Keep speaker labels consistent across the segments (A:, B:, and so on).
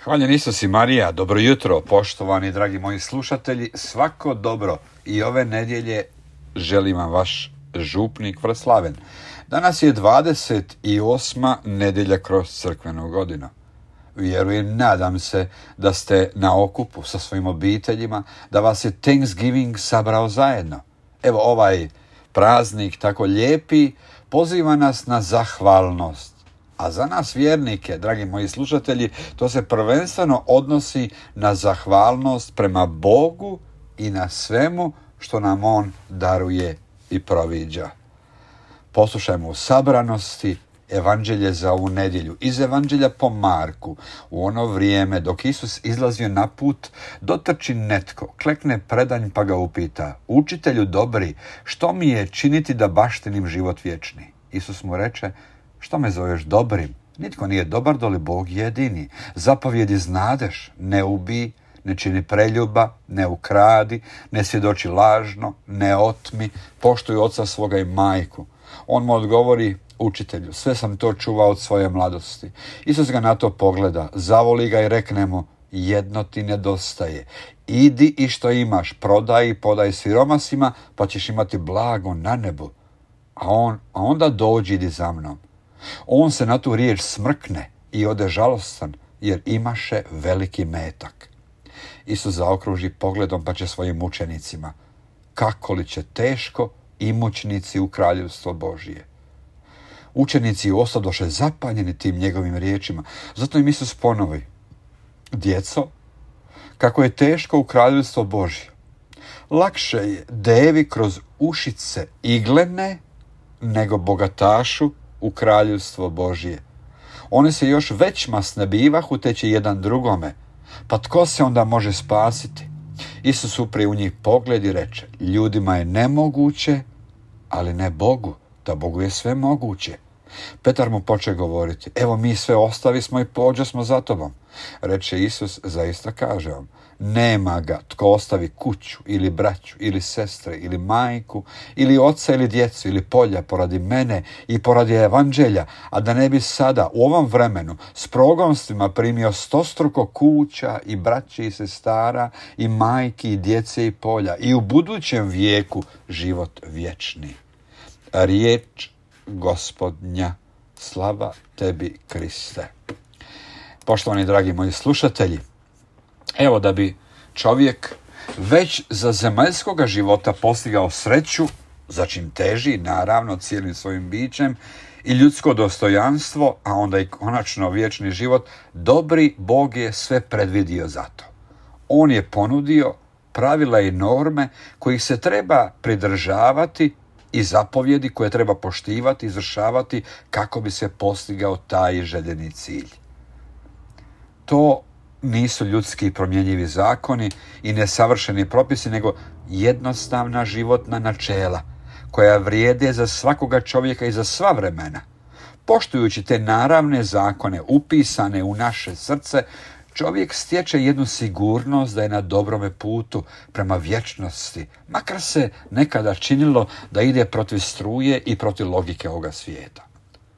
A: Hvaljen Isus i Marija, dobro jutro, poštovani dragi moji slušatelji, svako dobro i ove nedjelje želim vam vaš župnik Vraslaven. Danas je 28. nedjelja kroz crkvenu godinu. Vjerujem, nadam se da ste na okupu sa svojim obiteljima, da vas je Thanksgiving sabrao zajedno. Evo ovaj praznik tako lijepi poziva nas na zahvalnost. A za nas vjernike, dragi moji slušatelji, to se prvenstveno odnosi na zahvalnost prema Bogu i na svemu što nam On daruje i proviđa. Poslušajmo u sabranosti evanđelje za ovu nedjelju. Iz evanđelja po Marku, u ono vrijeme dok Isus izlazio na put, dotrči netko, klekne predanj pa ga upita: Učitelju dobri, što mi je činiti da baštinim život vječni? Isus mu reče: Što me zoveš dobrim? Nitko nije dobar doli Bog jedini. Zapovjedi znadeš: ne ubij, ne čini preljuba, ne ukradi, ne svjedoči lažno, ne otmi, poštuj oca svoga i majku. On mu odgovori: Učitelju, sve sam to čuvao od svoje mladosti. Isus ga na to pogleda, zavoli ga i rekne mu: jedno ti nedostaje. Idi i što imaš, prodaj i podaj siromasima, pa ćeš imati blago na nebu. A onda dođi, idi za mnom. On se na tu riječ smrkne i ode žalostan, jer imaše veliki metak. Isus zaokruži pogledom pa će svojim učenicima: kako li će teško imućnici u kraljevstvo Božije. Učenici ostadoše zapanjeni tim njegovim riječima. Zato im Isus ponovi: djeco, kako je teško u kraljevstvo Božje. Lakše je devi kroz ušice iglene nego bogatašu u kraljevstvo Božje. One se još već masne bivahu, te će jedan drugome. Pa tko se onda može spasiti? Isus upre u njih pogled i reče: ljudima je nemoguće, ali ne Bogu, da Bogu je sve moguće. Petar mu poče govoriti: evo mi sve ostavismo i pođosmo za tobom. Reče Isus: zaista kažem vam, nema ga tko ostavi kuću ili braću ili sestre ili majku ili oca ili djecu ili polja poradi mene i poradi evanđelja, a da ne bi sada u ovom vremenu s progonstvima primio stostruko kuća i braći i sestara i majki i djece i polja i u budućem vijeku život vječni. Riječ Gospodnja, slava tebi Kriste. Poštovani dragi moji slušatelji, evo da bi čovjek već za zemaljskoga života postigao sreću, za čim teži naravno cijelim svojim bićem, i ljudsko dostojanstvo, a onda i konačno vječni život, dobri Bog je sve predvidio za to. On je ponudio pravila i norme kojih se treba pridržavati i zapovjedi koje treba poštivati, izvršavati kako bi se postigao taj željeni cilj. To nisu ljudski promjenjivi zakoni i nesavršeni propisi, nego jednostavna životna načela koja vrijede za svakoga čovjeka i za sva vremena. Poštujući te naravne zakone upisane u naše srce, čovjek stječe jednu sigurnost da je na dobrome putu prema vječnosti, makar se nekada činilo da ide protiv struje i protiv logike ovoga svijeta.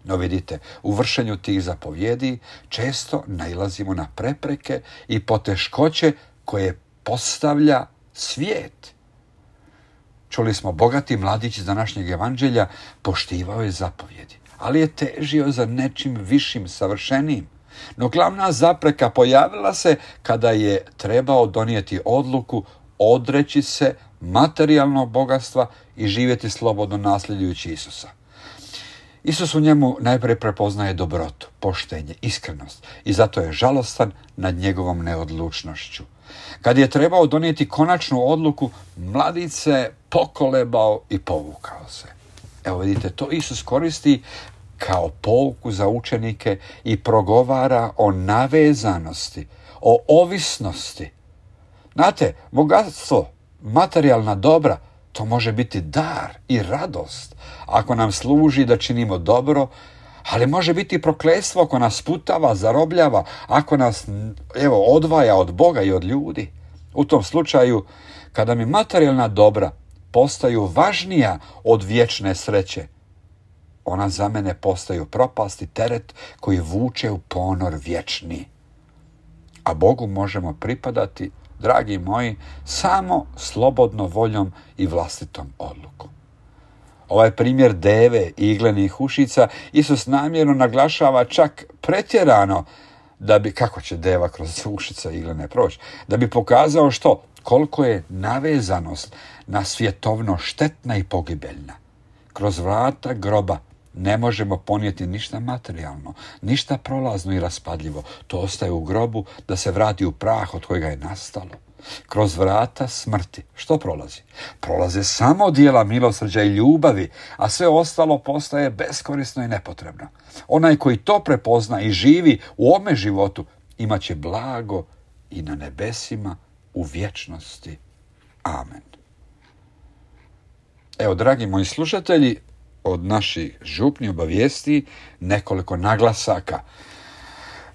A: No vidite, u vršenju tih zapovjedi često nailazimo na prepreke i poteškoće koje postavlja svijet. Čuli smo, bogati mladić iz današnjeg evanđelja poštivao je zapovjedi, ali je težio za nečim višim, savršenijim. No glavna zapreka pojavila se kada je trebao donijeti odluku odreći se materijalnog bogatstva i živjeti slobodno nasljedujući Isusa. Isus u njemu najprije prepoznaje dobrotu, poštenje, iskrenost i zato je žalostan nad njegovom neodlučnošću. Kad je trebao donijeti konačnu odluku, mladić se pokolebao i povukao se. Evo vidite, to Isus koristi kao pouku za učenike i progovara o navezanosti, o ovisnosti. Znate, bogatstvo, materijalna dobra, to može biti dar i radost ako nam služi da činimo dobro, ali može biti prokletstvo ako nas sputava, zarobljava, ako nas odvaja od Boga i od ljudi. U tom slučaju, kada mi materijalna dobra postaju važnija od vječne sreće, ona za mene postaju propast i teret koji vuče u ponor vječni. a Bogu možemo pripadati, dragi moji, samo slobodno voljom i vlastitom odlukom. Ovaj primjer deve i iglenih ušica Isus namjerno naglašava čak pretjerano, da bi, kako će deva kroz ušica iglene proći, da bi pokazao što? Koliko je navezanost na svjetovno štetna i pogibeljna. Kroz vrata groba ne možemo ponijeti ništa materijalno, ništa prolazno i raspadljivo. To ostaje u grobu da se vrati u prah od kojega je nastalo. Kroz vrata smrti što prolazi? Prolaze samo djela milosrđa i ljubavi, a sve ostalo postaje beskorisno i nepotrebno. Onaj koji to prepozna i živi u ovome životu imat će blago i na nebesima u vječnosti. Amen. Evo, dragi moji slušatelji, od naših župni obavijesti nekoliko naglasaka.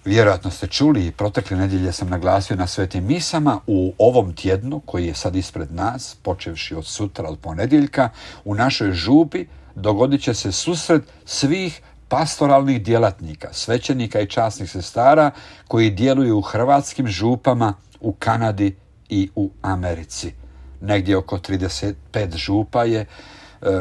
A: Vjerojatno ste čuli i protekle nedjelje sam naglasio na svetim misama u ovom tjednu koji je sad ispred nas, počevši od sutra, od ponedjeljka, u našoj župi dogodit će se susret svih pastoralnih djelatnika, svećenika i časnih sestara koji djeluju u hrvatskim župama, u Kanadi i u Americi. Negdje oko 35 župa je,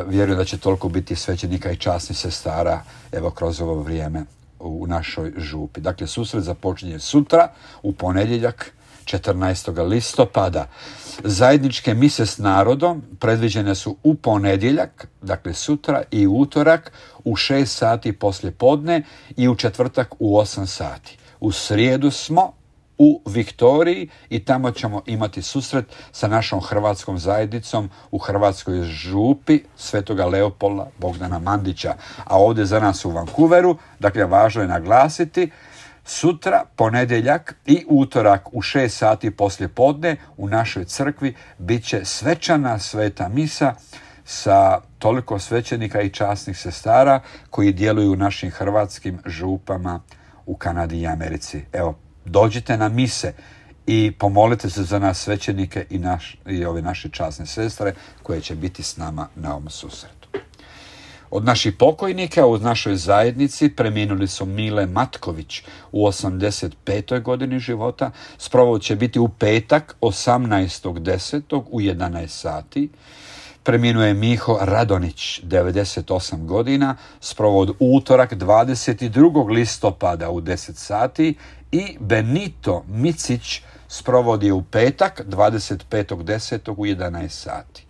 A: vjerujem da će toliko biti svećenika i časnih sestara evo kroz ovo vrijeme u našoj župi. Dakle, susret započinje sutra, u ponedjeljak, 14. listopada. Zajedničke mise s narodom predviđene su u ponedjeljak, dakle sutra, i utorak u 6 sati poslije podne i u četvrtak u 8 sati. U srijedu smo u Viktoriji i tamo ćemo imati susret sa našom hrvatskom zajednicom u Hrvatskoj župi Svetoga Leopolda Bogdana Mandića. A ovdje za nas u Vancouveru, dakle važno je naglasiti, sutra, ponedjeljak i utorak u 6 sati poslije podne u našoj crkvi bit će svečana sveta misa sa toliko svećenika i časnih sestara koji djeluju u našim hrvatskim župama u Kanadi i Americi. Evo, dođite na mise i pomolite se za nas svećenike i ove naše časne sestre koje će biti s nama na ovom susretu. Od naših pokojnika u našoj zajednici preminuli su Mile Matković u 85. godini života. Sprovod će biti u petak 18.10. u 11 sati. Preminuo je Miho Radonić, 98 godina, sprovod utorak 22. listopada u 10 sati i Benito Micić sprovod je u petak 25.10. u 11 sati.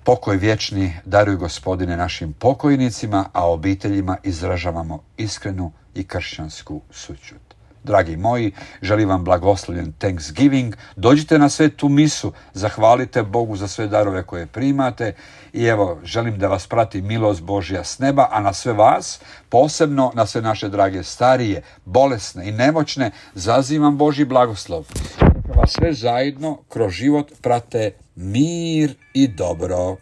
A: Pokoj vječni daruj Gospodine našim pokojnicima, a obiteljima izražavamo iskrenu i kršćansku sućut. Dragi moji, želim vam blagoslovljen Thanksgiving. Dođite na svetu misu, zahvalite Bogu za sve darove koje primate i evo, želim da vas prati milost Božja s neba, a na sve vas, posebno na sve naše drage starije, bolesne i nemoćne, zazivam Božji blagoslov. Neka vas sve zajedno kroz život prate mir i dobro.